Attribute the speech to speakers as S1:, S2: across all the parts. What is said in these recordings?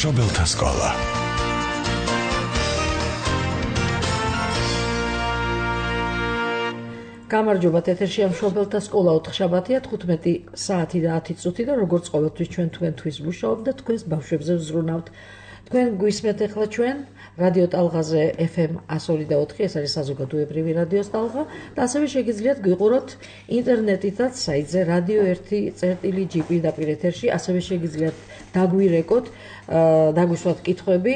S1: მშობელთა სკოლა.
S2: გამარჯობა, ეთერშია მშობელთა სკოლა 4 შაბათია 15 საათი და 10 წუთი და როგორც ყოველთვის ჩვენ თქვენთვის ვმუშაობთ და თქვენს ბავშვებზე ვზრუნავთ. თქვენ გვისმენთ ახლა ჩვენ რადიო ტალღაზე FM 102.4, ეს არის საზოგადოებრივი რადიოს ტალღა და ასევე შეგიძლიათ გვიყუროთ ინტერნეტითაც საიტზე radio1.gp დაპირ ეთერში, ასევე შეგიძლიათ დაგვირეკოთ, დაგვისვათ კითხვები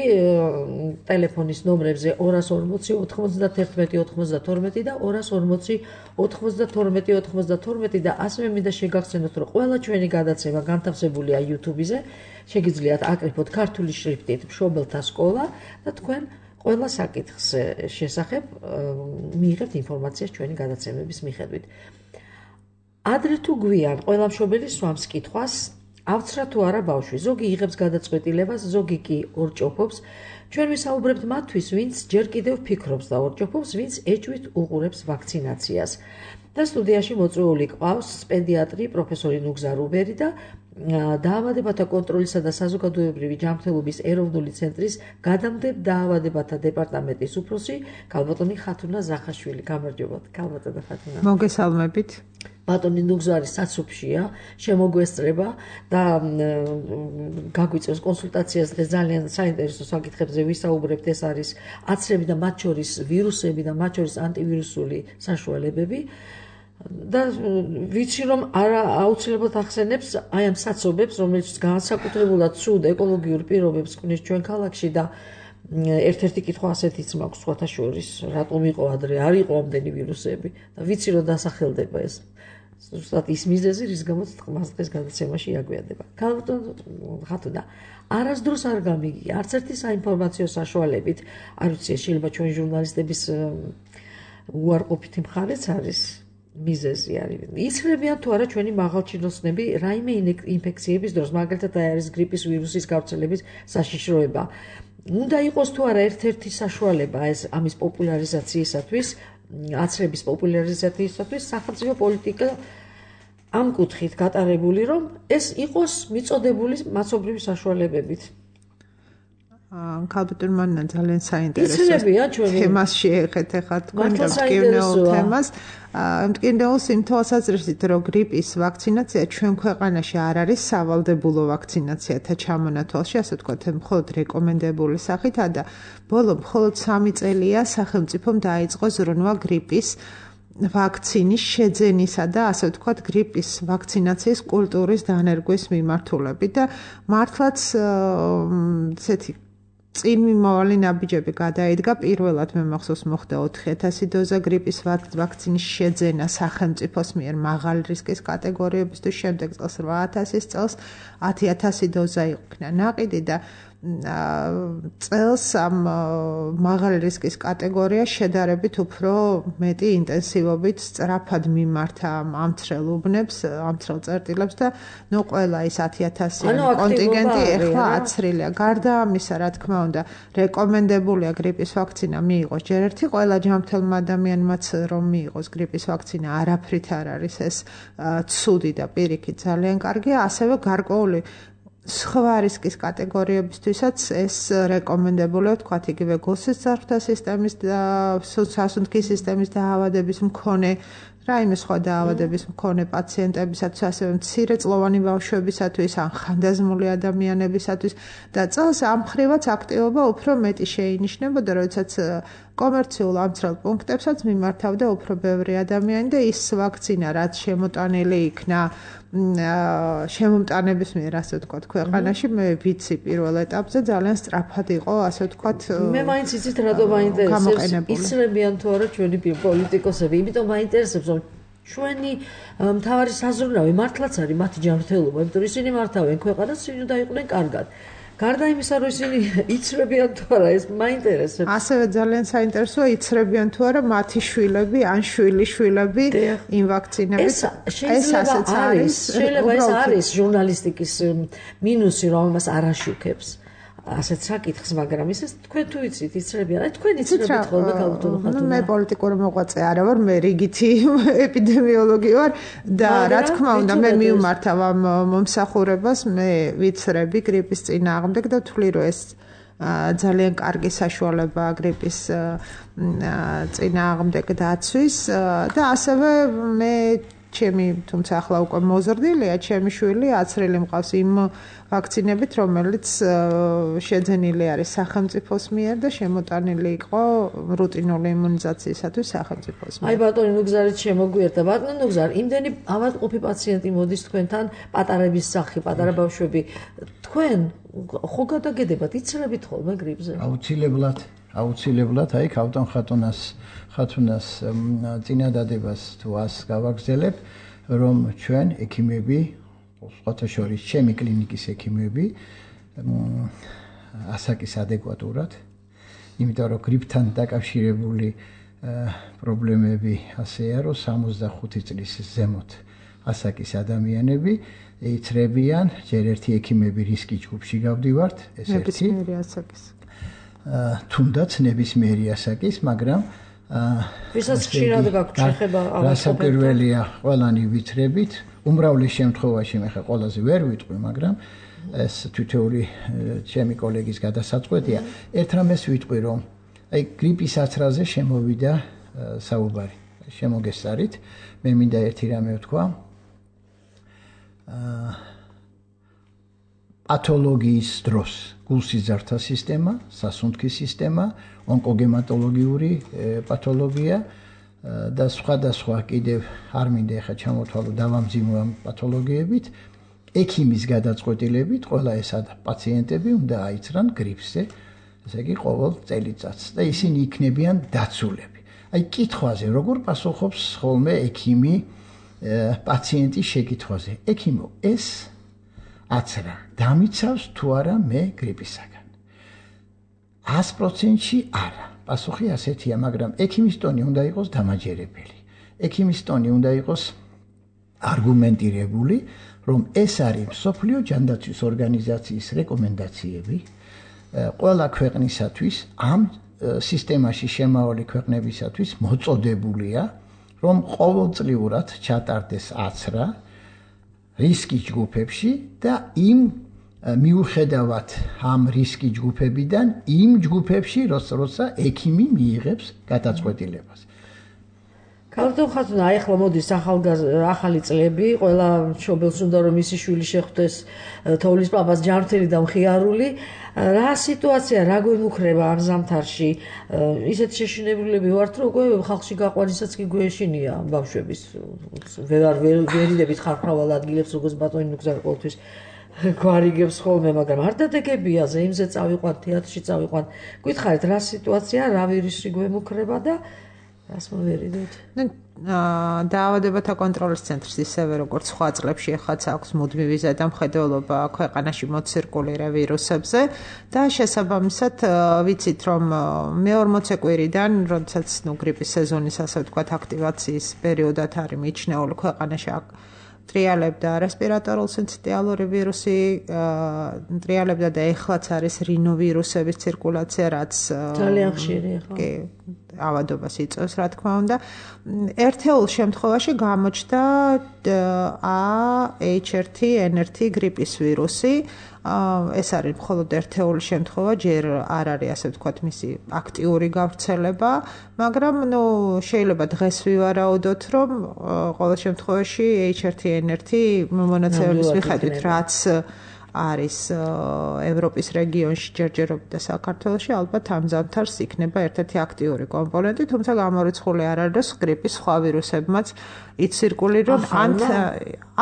S2: ტელეფონის ნომრებზე 240 91 92 და 240 92 92 და ასევე მინდა შეგახსენოთ, რომ ყველა ჩვენი გადაცემა განთავსებულია YouTube-ზე, შეგიძლიათ აკრიფოთ ქართული შრიფტით მშობელთა სკოლა და თქვენ ყველა საკითხს შესახებ მიიღებთ ინფორმაციას ჩვენი გადაცემების მიხედვით. ადრე თუ გვიან ყველა მშობელი სვამს კითხვას, ავცრა თუ არა ბავშვი, ზოგი იღებს გადაწყვეტილებას, ზოგი კი ორჭოფობს. ჩვენ ვისაუბრებთ მათთვის, ვინც ჯერ კიდევ ფიქრობს და ორჭოფობს, ვინც ეჭვით უყურებს ვაქცინაციას. და სტუდიაში მოწვეული ყავს პედიატრი პროფესორი ნუგზა რუბერი და დაავადებათა კონტროლისა და საზოგადოებრივი ჯანმრთელობის ეროვნული ცენტრის გადამდებარე დაავადებათა დეპარტამენტის უფროსი ქალბატონი ხათუნა ზახაშვილი. გამარჯობათ, ქალბატონი ხათუნა.
S3: მოგესალმებით.
S2: ბატონი ნუგზა არის საცოფშია, შემოგვესწრება და გაგვიწევს კონსულტაციას დღეს ძალიან საინტერესო საკითხებზე ვისაუბრებთ. ეს არის აცრები და მათ შორის ვირუსები და მათ შორის ანტივირუსული საშუალებები. და ვიცი რომ აუცილებლად ახსენებს აი ამ საცობებს, რომელიც განსაკუთრებულად ცუდ ეკოლოგიურ პირობებს ქმნის ჩვენ ქალაქში და ერთ-ერთი კითხვა ასეთიც მაქვს სხვათა შორის, რატომ იყო ადრე არ იყო ამდენი ვირუსები და ვიცი რომ დასახელდება ეს. ზუსტად ის მიზეზი, რის გამოც მას დღეს გადაცემაში აგვიანდება. ხათუნა, არასდროს არ გამიგია, არც ერთი საინფორმაციო საშუალებით, არ ვიცი, შეიძლება ჩვენ ჟურნალისტების უარყოფითი მხარეც არის. მიზეზი არის. იცრებიან თუ არა ჩვენი მაღალჩინოსნები რაიმე ინფექციების დროს, მაგალითად არის გრიპის ვირუსის გავრცელების საშიშროება. უნდა იყოს თუ არა ერთ-ერთი საშუალება ეს ამის პოპულარიზაციისათვის, აცრების პოპულარიზაციისათვის სახელმწიფო პოლიტიკა ამ კუთხით გატარებული, რომ ეს იყოს მიწოდებული მასობრივი საშუალებებით.
S3: ქალბატონი მანნა ძალიან საინტერესო თემას შეეხეთ ახლა თქვენ და მტკივნეულ თემას. მტკივნეულს იმ თვალსაზრისით, რომ გრიპის ვაქცინაცია ჩვენ ქვეყანაში არ არის სავალდებულო ვაქცინაციათა ჩამონათვალში, ასე ვთქვათ, მხოლოდ რეკომენდებული სახით და ბოლო მხოლოდ 3 წელია სახელმწიფომ დაიწყო ზრუნვა გრიპის ვაქცინის შეძენისა და ასე ვთქვათ გრიპის ვაქცინაციის კულტურის დანერგვის მიმართულებით და მართლაც ესეთი წინ მიმავალი ნაბიჯები გადაიდგა. პირველად მე მახსოვს მოხდა 4000 დოზა გრიპის ვაქცინის შეძენა სახელმწიფოს მიერ მაღალი რისკის კატეგორიებისთვის, შემდეგ წელს 8000 წელს 10000 დოზა იქნა ნაყიდი და წელს ამ მაღალი რისკის კატეგორია შედარებით უფრო მეტი ინტენსივობით სწრაფად მიმართა ამცრელ უბნებს, ამცრელ წერტილებს და ნუ ყველა ის 10000 კონტინგენტი ეხლა აცრილია. გარდა ამისა, რა თქმა უნდა, რეკომენდებულია გრიპის ვაქცინა მიიღოს ჯერ ერთი, ყველა ჯანმრთელმა ადამიანმაც რომ მიიღოს გრიპის ვაქცინა არაფრით არ არის ეს ცუდი და პირიქით ძალიან კარგია, ასევე გარკვეული სხვა რისკის კატეგორიებისთვისაც ეს რეკომენდებულია, თქვათ იგივე გულსის ძარღვთა სისტემის და სასუნთქის სისტემის დაავადების მქონე რაიმე სხვა დაავადების მქონე პაციენტებისათვის, ასევე მცირეწლოვანი ბავშვებისათვის, ან ხანდაზმული ადამიანებისათვის და წელს ამ მხრივაც აქტივობა უფრო მეტი შეინიშნებოდა, როდესაც კომერციულ ამცრელ პუნქტებსაც მიმართავდა უფრო ბევრი ადამიანი და ის ვაქცინა, რაც შემოტანილი იქნა შემომტანების მიერ, ასე ვთქვათ, ქვეყანაში, მე ვიცი პირველ ეტაპზე ძალიან სწრაფად იყო, ასე ვთქვათ,
S2: მე მაინც იცით რატომ მაინტერესებს, იცრებიან თუ არა ჩვენი პოლიტიკოსები, იმიტომ მაინტერესებს, რომ ჩვენი მთავარი საზრუნავი მართლაც არის მათი ჯანმრთელობა, იმიტომ რომ ისინი მართავენ ქვეყანას, ისინი უნდა იყვნენ კარგად. გარდა იმისა, რომ ისინი იცრებიან თუ არა, ეს მაინტერესებს.
S3: ასევე ძალიან საინტერესოა იცრებიან თუ არა მათი შვილები ან შვილიშვილები იმ ვაქცინებით.
S2: ეს ასეც არის. შეიძლება ეს არის ჟურნალისტიკის მინუსი, რომ ამას არ აშუქებს. ასეთ საკითხს, მაგრამ ისე თქვენ თუ იცით, იცრებიან, აი თქვენ იცრებით ხოლმე ქალბატონო ხათუნა.
S3: მე პოლიტიკური მოღვაწე არა ვარ, მე რიგითი ეპიდემიოლოგი ვარ და რა თქმა უნდა მე მივმართავ ამ მომსახურებას, მე ვიცრები გრიპის წინააღმდეგ და ვთვლი რომ ეს ძალიან კარგი საშუალებაა გრიპის წინააღმდეგ დაცვის და ასევე მე ჩემი თუმცა ახლა უკვე მოზრდილია ჩემი შვილი აცრილი მყავს იმ ვაქცინებით რომელიც შეძენილი არის სახელმწიფოს მიერ და შემოტანილი იყო რუტინული იმუნიზაციისათვის სახელმწიფოს მიერ.
S2: აი ბატონი ნუგზარით შემოგვიერთა ბატონო ნუგზარ იმდენი ავადმყოფი პაციენტი მოდის თქვენთან პატარების სახი პატარა ბავშვები თქვენ ხო გადაგედებათ იცრებით ხოლმე გრიპზე?
S1: აუცილებლად აი ქავტონ ხათუნას წინადადებას თუ ას გავაგრძელებ რომ ჩვენ ექიმები სხვათა შორის ჩემი კლინიკის ექიმები ასაკის ადეკვატურად იმიტომ რომ გრიპთან დაკავშირებული პრობლემები ასეა რომ 65 წლის ზემოთ ასაკის ადამიანები იცრებიან ჯერ ერთი ექიმები რისკის ჯგუფში გავდივართ ეს ერთი თუნდაც ნებისმიერი ასაკის მაგრამ
S2: ვისაც ხშირად გაქვთ შეხება
S1: რასაკვირველია ყველანი ვიცრებით უმრავლეს შემთხვევაში მე ხა ყველაზე ვერ ვიტყვი მაგრამ ეს თითოეული ჩემი კოლეგის გადასაწყვეტია ერთ რამეს ვიტყვი რომ აი გრიპის აცრაზე შემოვიდა საუბარი შემოგესწარით მე მინდა ერთი რამე ვთქვა პათოლოგიის დროს გულსიზართა სისტემა, სასუნთქის სისტემა, ონკოგემატოლოგიური პათოლოგია და სხვადასხვა კიდევ არ მინდა ახლა ჩამოთვალო დავამძიმო ამ პათოლოგიებით, ექიმის გადაწყვეტილებით ყველა ეს პაციენტები უნდა აიცრან გრიპსზე, ესე იგი ყოველ წელიწადს და ისინი იქნებიან დაცულები. აი კითხვაზე როგორ პასუხობს ხოლმე ექიმი პაციენტის შეკითხვაზე? ექიმო, ეს აცრა დამიცავს თუ არა მე გრიპისაგან 100%-ში არა პასუხი ასეთია მაგრამ ექიმის ტონი უნდა იყოს დამაჯერებელი ექიმის ტონი უნდა იყოს არგუმენტირებული რომ ეს არის მსოფლიო ჯანდაცვის ორგანიზაციის რეკომენდაციები ყველა ქვეყნისათვის ამ სისტემაში შემავალი ქვეყნებისათვის მოწოდებულია რომ ყოველწლიურად ჩატარდეს აცრა რისკის ჯგუფებში და იმ მიუხედავად ამ რისკის ჯგუფებიდან იმ ჯგუფებში როცა ექიმი მიიღებს გადაწყვეტილებას.
S2: ქალბატონ ხათუნა, აი ახლა მოდის ახალი წლები, ყველა მშობელს უნდა რომ მისი შვილი შეხვდეს თოვლის პაპას ჯანმრთელი და მხიარული. რა სიტუაცია, რა გვემუქრება ამ ზამთარში? ისეთ შეშინებულები ვართ, რომ უკვე ხალხში გაყვანისაც კი გვეშინია ბავშვების. ვერიდებით ხარხრავალ ადგილებს, როგორც ბატონი ნუგზარი ყოველთვის გვარიგებს ხოლმე, მაგრამ არ დადეგებია, ზეიმზე წავიყვან, თეატრში წავიყვან. გითხარით, რა სიტუაცია, რა ვირუსი გვემუქრება და რას მოვერიდოთ?
S3: დაავადებათა კონტროლის ცენტრის ისევე როგორც სხვა წლებში ახაც აქვს მუდმივი ზედამხედველობა ქვეყანაში მოცირკულირე ვირუსებზე და შესაბამისად ვიცით რომ მე-40 კვირიდან როდესაც გრიპის სეზონის ასე ვთქვათ აქტივაციის პერიოდად არის მიჩნეული ქვეყანაში ტრიალებდა რესპირატორულ სინციტიალური ვირუსი ტრიალებდა და ეხლაც არის რინოვირუსების ცირკულაცია რაც
S2: ძალიან ხშირია ხო
S3: ავადობას იწვევს რა თქმა უნდა ერთეულ შემთხვევაში გამოჩნდა H1N1 გრიპის ვირუსი ეს არის მხოლოდ ერთეული შემთხვევა ჯერ არ არის ასე ვთქვათ მისი აქტიური გავრცელება მაგრამ შეიძლება დღეს ვივარაუდოთ რომ ყოველ შემთხვევაში H1N1 მონაცემების მიხედვით რაც არის ევროპის რეგიონში ჯერჯერობით და საქართველოში ალბათ ამ ზამთარს იქნება ერთ-ერთი აქტიური კომპონენტი, თუმცა გამორიცხული არ არის გრიპის სხვა ვირუსებმაც იცირკულირონ ან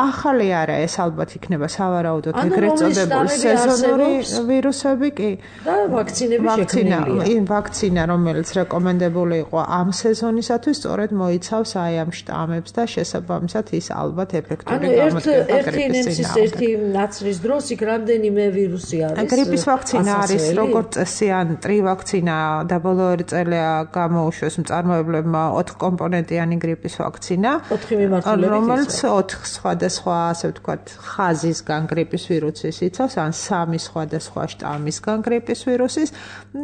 S3: ახალი არა ეს ალბათ იქნება სავარაუდოდ ეგრეთ წოდებული სეზონური ვირუსები კი
S2: და ვაქცინები შექმნილია.
S3: ვაქცინა რომელიც რეკომენდებული იყო ამ სეზონისათვის სწორედ მოიცავს აი ამ შტამებს და შესაბამისად ის ალბათ ეფექტური გამოდგება გრიპის წინააღმდეგ.
S2: ერთი ნაცრის დროს იქ რამდენიმე ვირუსი არის.
S3: გრიპის ვაქცინა არის როგორც წესი ან ტრივაქცინა და ბოლო 2 წელია გამოუშვეს მწარმოებლებმა 4 კომპონენტიანი გრიპის ვაქცინა,
S2: 4 მიმართულებით,
S3: რომელიც 4 სხვადასხვა, ასე ვთქვათ, ხაზისგან გრიპის ვირუსის იცავს, ან 3 სხვადასხვა შტამისგან გრიპის ვირუსის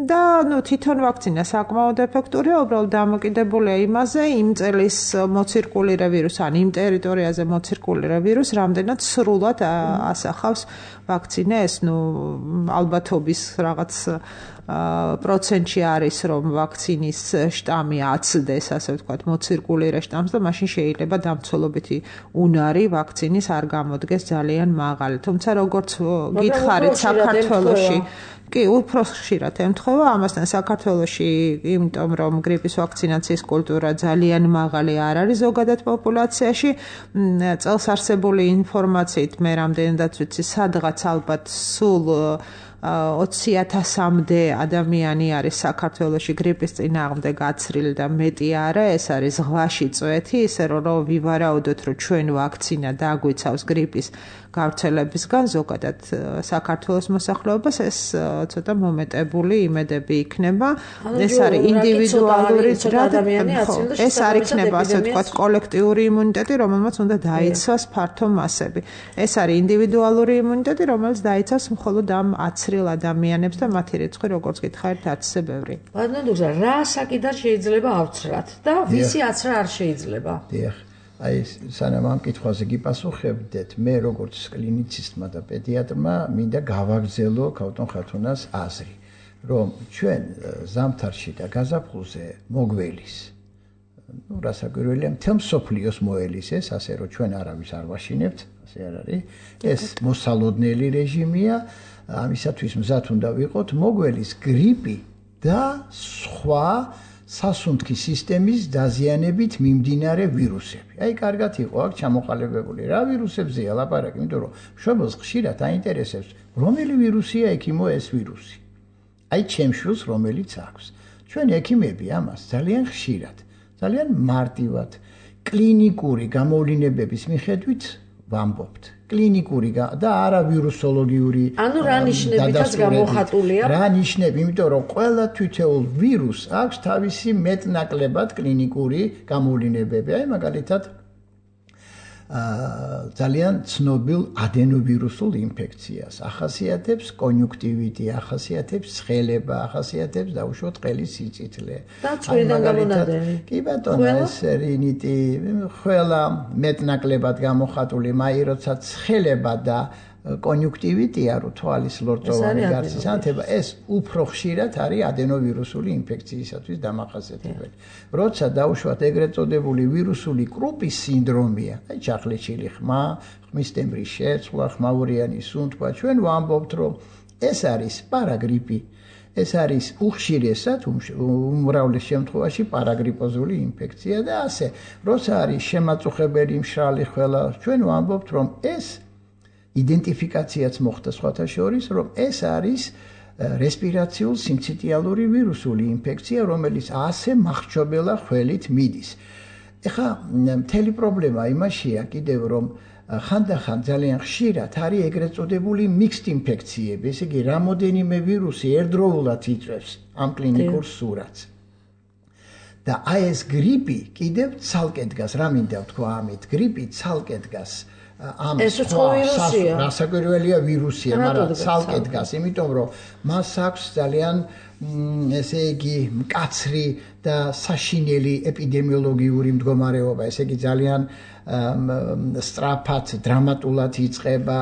S3: და თვითონ ვაქცინა საკმაოდ ეფექტურია, უბრალოდ დამოკიდებულია იმაზე, იმ წელის მოცირკულირე ვირუსი, ან იმ ტერიტორიაზე მოცირკულირე ვირუსი რამდენად სრულად ასახავს ვაქცინა ეს ალბათობის რაღაც პროცენტში არის რომ ვაქცინის შტამი აცდეს ასე ვთქვათ მოცირკულირე შტამს და მაშინ შეიძლება დამცველობითი უნარი ვაქცინის არ გამოდგეს ძალიან მაღალი. თუმცა როგორც გითხარით საქართველოში კი, უფრო ხშირად ემთხვევა ამასთან საქართველოში, იმიტომ რომ გრიპის ვაქცინაციის კულტურა ძალიან მაღალი არ არის ზოგადად პოპულაციაში. წელს არსებული ინფორმაციით მე რამდენადაც ვიცი, სადღაც ალბათ სულ 20,000-მდე ადამიანი არის საქართველოში გრიპის წინააღმდეგ გაცრილი და მეტი არა, ეს არის ზღვაში წვეთი, ისე რომ ვივარაუდოთ, რომ ჩვენ ვაქცინა დაგვიცავს გრიპის გავრცელებისგან ზოგადად საქართველოს მოსახლეობას ეს ცოტა მომეტებული იმედები იქნება. ეს არის ინდივიდუალური ეს არ იქნება ასე ვთქვათ კოლექტიური იმუნიტეტი, რომელმაც უნდა დაიცვას ფართო მასები. ეს არის ინდივიდუალური იმუნიტეტი, რომელიც დაიცავს მხოლოდ ამ აცრილ ადამიანებს და მათი რიცხვი როგორც გითხარით არც ისე ბევრი.
S2: ბატონო, რა საკიდან შეიძლება ავცრათ და ვისი აცრა არ შეიძლება?
S1: დიახ. აი სანამ ამ კითხვაზე გიპასუხებდეთ, მე როგორც კლინიცისტმა და პედიატრმა მინდა გავაგრძელო ქავთონ ხათუნას აზრი, რომ ჩვენ ზამთარში და გაზაფხულზე მოგველის რასაკვირველია მთელ მსოფლიოს მოელისეს, ასე რომ ჩვენ არავის არ ვაშინებთ, ასე არ არის. ეს მოსალოდნელი რეჟიმია, ამისათვის მზად უნდა ვიყოთ მოგველის გრიპი და სხვა სასუნთქი სისტემის დაზიანებით მიმდინარე ვირუსები. აი, კარგად იყო აქ ჩამოყალიბებული რა ვირუსებზეა ლაპარაკი, იმიტომ რომ მშობელს ხშირად აინტერესებს, რომელი ვირუსია ექიმო ეს ვირუსი. აი, ჩემს შვილს რომელიც აქვს. ჩვენ ექიმები ამას ძალიან ხშირად, ძალიან მარტივად, კლინიკური გამოვლინებების მიხედვით ვამბობთ. კლინიკური და არა ვირუსოლოგიური
S2: ანუ რა ნიშნებითაც გამოხატულია?
S1: რა ნიშნები, იმიტომ რომ ყველა თითოეულ ვირუსს აქვს თავისი მეტნაკლებად კლინიკური გამოვლინებები. აი მაგალითად ძალიან ცნობილ ადენოვირუსულ ინფექციას ახასიათებს კონიუნქტივიტი, ახასიათებს ცხელება, ახასიათებს დაუშვოთ ყელის სიწითლე.
S2: და წვრიდან გამონადენი.
S1: კი ბატონო, ეს რინიტი ყველა მეტნაკლებად გამოხატული, მაი როცა ცხელება და კონიუნქტივიტია, რო თვალის ლორწოვანი გარსის ანთება, ეს უფრო ხშირად არის ადენოვირუსული ინფექციისათვის დამახასიათებელი. როცა დაუშვათ ეგრეთ წოდებული ვირუსული კრუპის სინდრომია, აი ჩახლეჩილი ხმა, ხმის ტემბრის შეცვლა, ხმაურიანი სუნთქვა, ჩვენ ვამბობთ, რომ ეს არის პარაგრიპი. ეს არის უხშირესად უმრავლეს შემთხვევაში პარაგრიპოზული ინფექცია და ასე. როცა არის შემაწუხებელი მშრალი ხველა, ჩვენ ვამბობთ, რომ ეს იდენტიფიკაციაც მოხდა სხვათა შორის, რომ ეს არის რესპირაციულ სიმციტიალური ვირუსული ინფექცია, რომელიც ასე მახრჩობელა ხველით მიდის. ეხლა მთელი პრობლემა იმაშია კიდევ, რომ ხანდახან ძალიან ხშირად არის ეგრეთ წოდებული მიქსდ ინფექციები, ესე იგი რამოდენიმე ვირუსი ერთდროულად იწვევს ამ კლინიკურ სურათს. და აი ეს გრიპი კიდევ ცალკე დგას, რა მინდა ვთქვა ამით, გრიპი ცალკე დგას.
S2: ეს უცხო ვირუსია.
S1: რასაკვირველია ვირუსია, მაგრამ ცალკე დგას, იმიტომ რომ მას აქვს ძალიან ესე იგი მკაცრი და საშინელი ეპიდემიოლოგიური მდგომარეობა, ესე იგი ძალიან სწრაფად, დრამატულად იწყება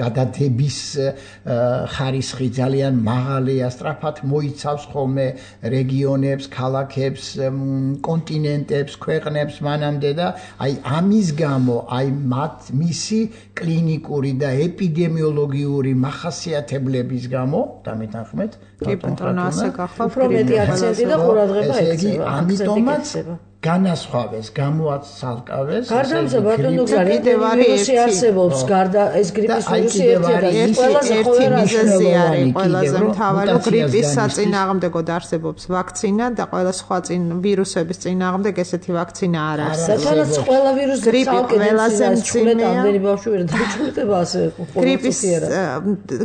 S1: გადადების ხარისხი ძალიან მაღალია, სწრაფად მოიცავს ხოლმე რეგიონებს, ქალაქებს, კონტინენტებს, ქვეყნებს მანამდე და აი ამის გამო, აი მისი კლინიკური და ეპიდემიოლოგიური მახასიათებლების გამო, დამეთანხმეთ,
S3: კი ბატონო, ასე გახლა
S2: უფრო მეტი აქცენტი და ყურადღება ექცევა.
S1: ამიტომაც განასხვავეს, გამოაცალკავეს.
S2: გარდა ამისა, ბატონო გზარი, ვირუსი არსებობს, გარდა ეს გრიპის ვირუსი ერთადერთი ყველაზე
S3: მიზეზი არის, ყველაზე მთავარი გრიპის საწინააღმდეგოდ არსებობს ვაქცინა და ყველა სხვა ვირუსების წინააღმდეგ ესეთი ვაქცინა არ არსებობს.
S2: სადაც ყველა ვირუსი
S3: გრიპი ყველაზე მძიმეა.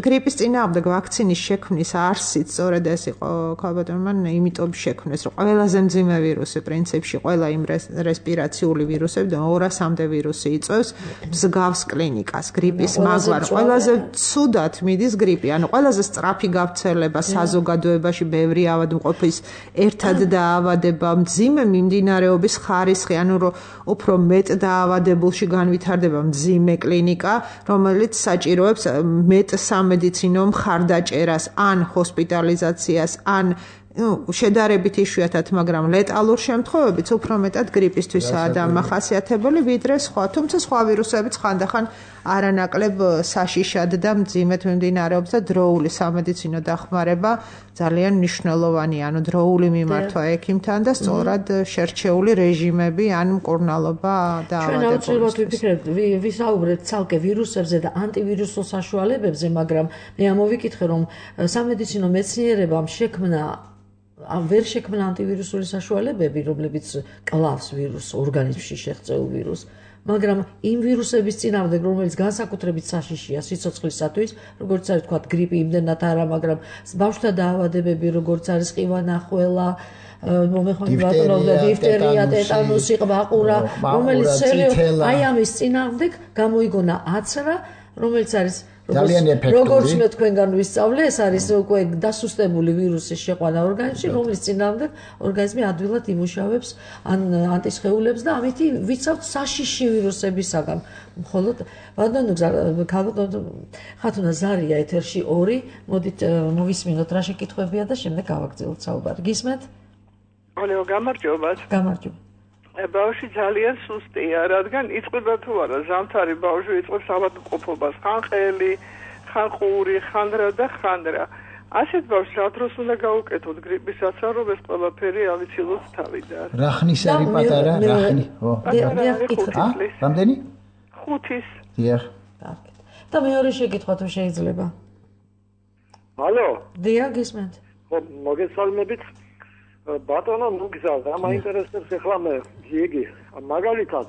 S3: გრიპის წინააღმდეგ ვაქცინის შექმნის არსით სწორედ ეს იყო ქალბატონმა იმიტომ შექმნეს, რომ ყველაზე მძიმე ვირუსი პრინციპში ყველა იმ რესპირაციული ვირუსები და 200-მდე ვირუსი იწვევს მსგავს კლინიკას. გრიპის მაგვარ ყველაზე ცუდად მიდის გრიპი, ანუ ყველაზე სწრაფი გავრცელება საზოგადოებაში, ბევრი ავადმყოფის ერთად დაავადება, მძიმე მიმდინარეობის ხარისხი, ანუ რომ უფრო მეტ დაავადებულში განვითარდება მძიმე კლინიკა, რომელიც საჭიროებს მეტ სამედიცინო მხარდაჭერას, ან ჰოსპიტალიზაციას, ან შედარებით იშვიათად, მაგრამ ლეტალურ შემთხვევებიც უფრო მეტად გრიპისთვისაა დამახასიათებელი, ვიდრე სხვა, თუმცა სხვა ვირუსებიც ხანდახან არანაკლებ საშიშად და მძიმედ მიმდინარეობს და დროული სამედიცინო დახმარება ძალიან მნიშვნელოვანია, ანუ დროული მიმართვა ექიმთან და სწორად შერჩეული რეჟიმები, ან მკურნალობა და
S2: ჩვენ აუცილებლად ვიფიქრებთ, ვისაუბრეთ ცალკე ვირუსებზე და ანტივირუსულ საშუალებებზე, მაგრამ მე ამოვიკითხე, რომ სამედიცინო მეცნიერებამ ვერ შექმნა ანტივირუსული საშუალებები, რომლებიც კლავს ვირუსს, ორგანიზმში შეღწეულ ვირუსს, მაგრამ იმ ვირუსების წინააღმდეგ, რომელიც განსაკუთრებით საშიშია სიცოცხლისათვის, როგორც არის თქვა გრიპი, იმდენად არა, მაგრამ ბავშვთა დაავადებები, როგორც არის ყივანახველა, მომეხმარი ბატონო და დიფტერია, ტეტანუსი, ყბაყურა, რომელიც აი ამის წინააღმდეგ გამოიგონა აცრა, რომელიც არის როგორც მე თქვენგან ვისწავლე, ეს არის უკვე დასუსტებული ვირუსის შეყვანა ორგანიზმში, რომლის წინააღმდეგ ორგანიზმი ადვილად იმუშავებს ანტისხეულებს და ამითი ვიცავთ საშიში ვირუსებისაგან. მხოლოდ ბატონო ხათუნა ზარია ეთერში 2, მოდით მოვისმინოთ რა შეკითხვებია და შემდეგ გავაგრძელოთ საუბარი. გისმენთ?
S4: ოლეო, გამარჯობათ.
S2: გამარჯობა.
S4: ბავშვი ძალიან სუსტია, რადგან იწყება თუ არა ზამთარი ბავშვი იწყებს ავადმყოფობას, ხან ყელი, ხან ყური, ხან რა და ხან რა. ასეთ ბავშვს რა დროს უნდა გაუკეთოთ გრიპისაც, რომ ეს ყველაფერი ავიცილოთ თავიდან.
S1: რა ხნის არის პატარა? რა ხნი? რამდენი?
S4: 5-ის.
S1: დიახ.
S2: და მეორე შეკითხვა თუ შეიძლება.
S5: ალო?
S2: დიახ, გისმენთ.
S5: მოგესალმებით. ბატონო მოგზავ, რა მაინტერესებს ახლა მე იგი მაგალითად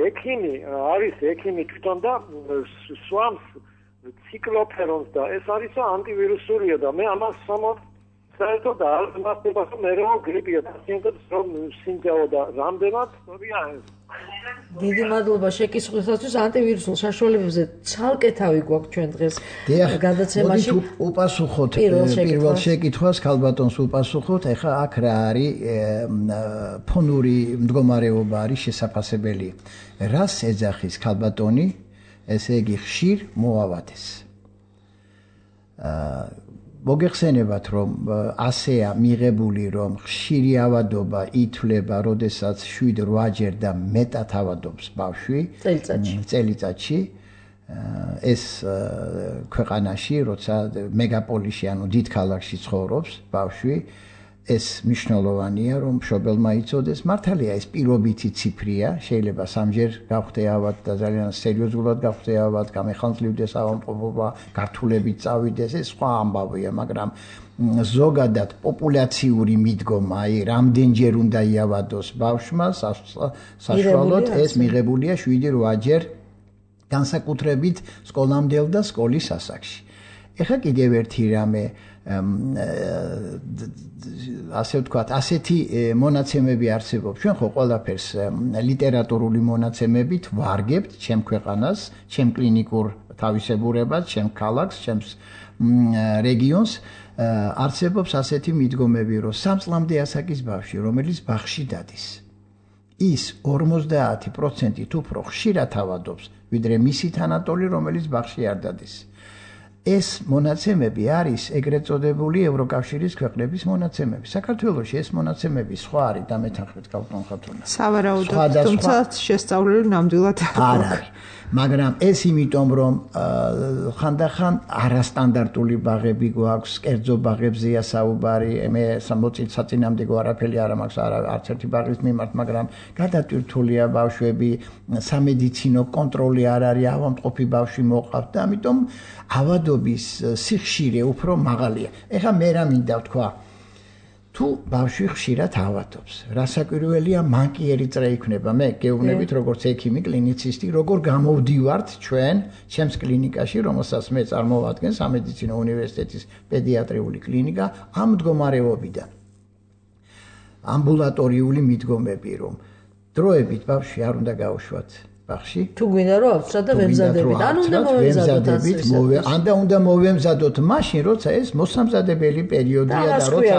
S5: ექიმი არის ექიმი თვითონ და სვამს ციკლოფერონს და ეს არის ანტივირუსულია და მე ამას საერთოდ არ მასწავლებ მე რომ გრიპია და სიმპტომებს რომ სიმჯაო და რამდენად სწორია ეს.
S2: დიდი მადლობა შეკითხვისათვის. ანტივირუსულ შაშუალებებზე ცალკე თავი გვაქვს ჩვენ დღეს გადაცემაში.
S1: უპასუხოთ პირველ შეკითხვას, ქალბატონს უპასუხოთ. ეხლა აქ რა არის ფონური მდგომარეობა არის შესაძლებელი. რას ეძახის ქალბატონი? ესე იგი ხშირ მოავადეს. მოგეხსენებათ, რომ ასეა მიღებული, რომ ხშირი ავადობა ითვლება, როდესაც 7-8 და მეტად ავადობს ბავშვი წელიწადში. ეს ქვეყანაში, როცა მეგაპოლიში, ანუ დიდ ქალაქში ცხოვრობს ბავშვი, ეს მნიშვნელოვანია, რომ მშობელმა იცოდეს. მართალია, ეს პირობითი ციფრია, შეიძლება 3-ჯერ გავხდე ავად და ძალიან სერიოზულად გავხდე ავად, გამეხანძლებდეს ავადმყოფობა, გართულებით წავიდეს, ეს სხვა ამბავია, მაგრამ ზოგადად პოპულაციური მიდგომა, აი, რამდენჯერ უნდა იავადოს ბავშვმა, საშუალოდ ეს მიღებულია 7-8 განსაკუთრებით სკოლამდელ და სკოლის ასაკში. ეხლა კიდევ ერთი რამე ასე ვთქვათ, ასეთი მონაცემები არსებობს. ჩვენ ხო ყველაფერს ლიტერატურული მონაცემებით ვარგებთ ჩემ ქვეყანას, ჩემ კლინიკურ თავისებურებას, ჩემ ქალაქს, ჩემ რეგიონს. არსებობს ასეთი მიდგომები, რომ 3 წლამდე ასაკის ბავშვი, რომელიც ბაღში დადის, ის 50% უფრო ხშირად ავადობს, ვიდრე მისი თანატოლი, რომელიც ბაღში არ დადის. ეს მონაცემები არის ეგრეთ წოდებული ევროკავშირის ქვეყნების მონაცემები. საქართველოში ეს მონაცემები სხვა არის და მეთანხმებით გავტონ ხათუნა.
S3: სავარაუდოდ, თუმცა შესწავლილი ნამდვილად
S1: არ არის. მაგრამ ეს იმიტომ რომ ხანდახან არასტანდარტული ბაღები გვაქვს, კერძო ბაღებზეა საუბარი, მე საწინააღმდეგო არაფერი არ მაქვს არც ერთი ბაღის მიმართ, მაგრამ გადატვირთულია ბავშვები, სამედიცინო კონტროლი არ არის, ავადმყოფი ბავშვი მოყავთ და ამიტომ ავადობის სიხშირე უფრო მაღალია. ეხლა მე რა მინდა ვთქვა, თუ ბავშვი ხშირად ავადობს, რასაკვირველია, მან კი ერიტრა იქნება. მე გეუბნებით როგორც ექიმი, კლინიცისტი, როგორ გამოვდივართ ჩვენ ჩემს კლინიკაში, რომელსაც მე წარმოვადგენ სამედიცინო უნივერსიტეტის პედიატრიული კლინიკა, ამ მდგომარეობიდან. ამბულატორიული მიდგომები, რომ დროებით ბავშვი არ უნდა გაუშვათ ბაღში.
S2: თუ გვინდა რომ ავცრათ და ვემზადებით, ან უნდა მოვემზადოთ,
S1: ან უნდა მოვემზადოთ მაშინ, როცა ეს მოსამზადებელი პერიოდია და როცა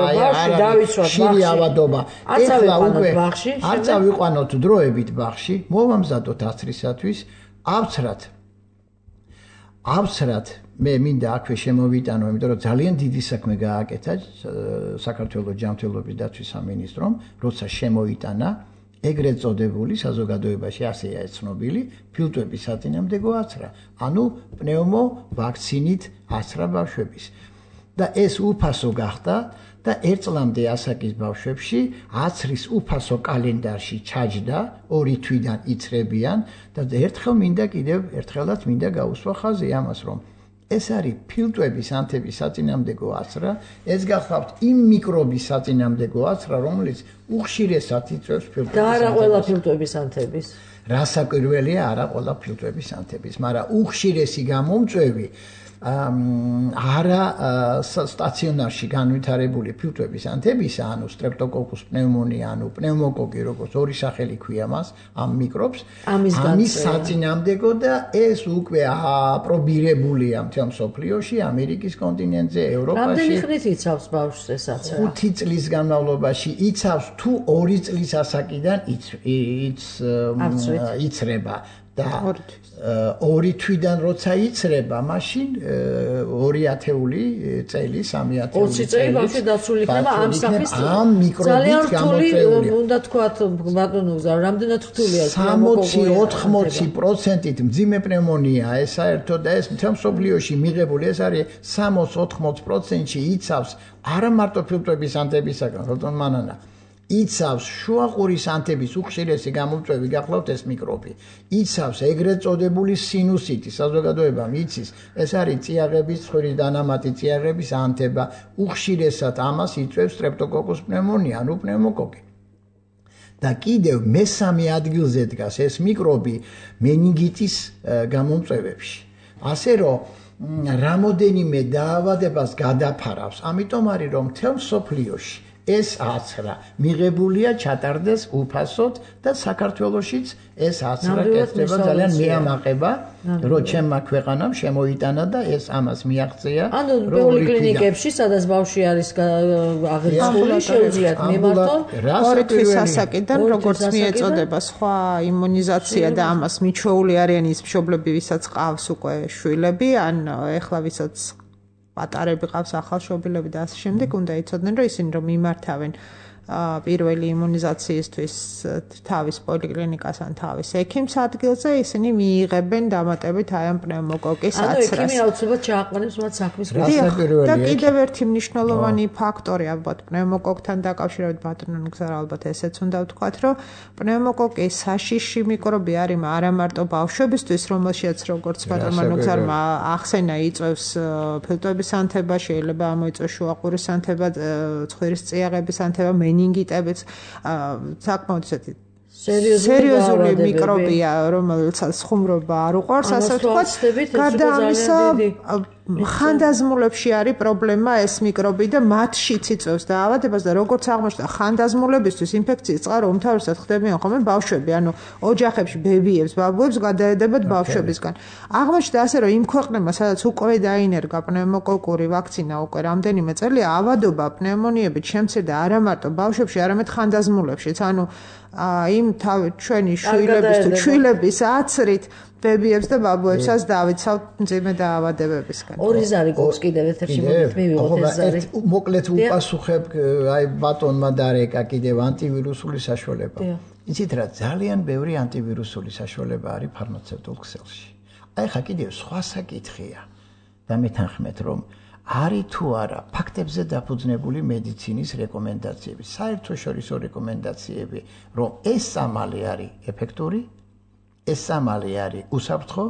S1: ხშირი ავადობა. ეხლა უკვე არ წავიყვანოთ დროებით ბაღში, მოვამზადოთ აცრისათვის, ავცრათ მე მინდა აქვე შემოვიტანო, იმიტომ რომ ძალიან დიდი საქმე გააკეთა საქართველოს ჯანმრთელობის დაცვის სამინისტრომ, როცა შემოიტანა ეგრეთ წოდებული საზოგადოებაში ასეა ცნობილი ფილტვების საწინააღმდეგო აცრა, ანუ პნევმოვაქცინით აცრა ბავშვების. და ეს უფასო გახდა და ერთ წლამდე ასაკის ბავშვებში აცრის უფასო კალენდარში ჩაჯდა, 2 თვიდან იცრებიან და ერთხელაც მინდა გაუსვა ხაზი ამას, რომ ეს არის ფილტვების ანთების საწინააღმდეგო აცრა, ეს გახლავთ იმ მიკრობის საწინააღმდეგო აცრა, რომელიც უხშირესად იწვევს ფილტვების ანთებს.
S2: და არა ყველა ფილტვების ანთების.
S1: რასაკვირველია, არა ყველა ფილტვების ანთების, მაგრამ უხშირესი გამომწვევი არა სტაციონარში განვითარებული ფილტვების ანთებისა, ანუ სტრეპტოკოკუს პნევმონია, ანუ პნევმოკოკი, როგორც ორი სახელი ქვია მას, ამ მიკრობს, ამის საწინააღმდეგო და ეს უკვე აპრობირებულია მთელ მსოფლიოში, ამერიკის კონტინენტზე, ევროპაში.
S2: რამდენი ხნით იცავს ბავშვს ეს აცრა?
S1: 5 წლის განმავლობაში იცავს, თუ 2 წლის ასაკიდან იცრება. და 2 თვიდან როცა იცრება, მაშინ 2 ათეული წელი, 3 ათეული
S2: 20 წელი ბავშვი დაცული იქნება ამ სახის
S1: ამ მიკრობით გამოწვეული.
S2: უნდა თქვათ ბატონო გზა, რამდენად რთულია
S1: 60-80%-ით მძიმე პნევმონია, ეს საერთოდ და ეს მთელ მსოფლიოში მიღებული, ეს არის 60-80%-ში იცავს არა მარტო ფილტვების ანთებისაგან, როდონ მანანა იცავს შუაყურის ანთების უხშირესი გამომწვევი გახლავთ ეს მიკრობი. იცავს ეგრეთ წოდებული სინუსიტი, საზოგადოებამ იცის, ეს არის წიაღების, ცხვირის დანამატი წიაღების ანთება, უხშირესად ამას იწვევს სტრეპტოკოკუს პნევმონია, ანუ პნევმოკოკი. და კიდევ მესამე ადგილზე დგას ეს მიკრობი მენინგიტის გამომწვევებში. ასე რომ რამოდენიმე დაავადებას გადაფარავს, ამიტომ არის რომ მთელ მსოფლიოში ეს აცრა მიღებულია ჩატარდეს უფასოდ და საქართველოშიც ეს აცრა კეთდება ძალიან მეამაყება, რომ ჩემმა ქვეყანამ შემოიტანა და ეს ამას მიაღწია.
S2: ანუ ბევრი კლინიკებში, სადაც ბავშვი არის აღრიცხული, შეუძლიათ მიმართონ
S3: 2 თვის ასაკიდან, როგორც მიეწოდება სხვა იმუნიზაცია და ამას მიჩვეული არიან ის მშობლები, ვისაც ყავს უკვე შვილები, ან ეხლა ვისაც პატარები ყავს ახალშობილები და ასე შემდეგ, უნდა იცოდნენ, რომ ისინი რომ მიმართავენ პირველი იმუნიზაციისთვის თავის პოლიკლინიკას ან თავის ექიმს ადგილზე, ისინი მიიღებენ დამატებით აი ამ პნევმოკოკის აცრას.
S2: ანუ ექიმი აუცილებლად ჩააყენებს მათ საქმის
S3: რასაკვირველია. და კიდევ ერთი მნიშვნელოვანი ფაქტორი ალბათ პნევმოკოკთან დაკავშირებით ბატონო გზა ალბათ ესეც უნდა ვთქვათ, რომ პნევმოკოკი საშიში მიკრობი არის არა მარტო ბავშვებისთვის, რომელშიც როგორც ბატონო გზარმა ახსენა იწვევს ფილტვების ანთება, შეიძლება ამოიწვევს შუაყურის ანთება, ცხვირის წიაღების ანთება, მენინგიტებიც, საკმაოდ ისეთი სერიოზული მიკრობია, რომელსაც ხუმრობა არ უყვარს, ასე ვთქვათ. გარდა ამისა, ხანდაზმულებში არის პრობლემა ეს მიკრობი და მათშიც იწვევს დაავადებას და როგორც აღმოჩნდა, ხანდაზმულებისთვის ინფექციის წყარო უმთავრესად ხდებიან ხოლმე ბავშვები, ანუ ოჯახებში ბებიებს, ბაბუებს გადაედებათ ბავშვებისგან. აღმოჩნდა ასე, რომ იმ ქვეყნებმა, სადაც უკვე დაინერგა პნევმოკოკური ვაქცინა უკვე რამდენიმე წელია, ავადობა პნევმონიებით შემცირდა არა მარტო ბავშვებში, არამედ ხანდაზმულებშიც, ანუ იმ ჩვენი შვილების თუ ჩვილების აცრით ბებიებს და ბაბუებსაც დავიცავთ მძიმე დაავადებებისგან.
S2: ორი ზარი გვაქვს კიდევ ეთერში, მოდით მივიღოთ ეს ზარი.
S1: მოკლედ უპასუხებ აი ბატონმა დარეკა კიდევ ანტივირუსული საშუალება. იცით რა, ძალიან ბევრი ანტივირუსული საშუალება არის ფარმაცევტულ ქსელში. აი ხა კიდევ სხვა საკითხია და მეთანხმეთ რომ არის თუ არა ფაქტებზე დაფუძნებული მედიცინის რეკომენდაციები, საერთაშორისო რეკომენდაციები, რომ ეს სამალი არის ეფექტური, ეს სამალი არის უსაფრთხო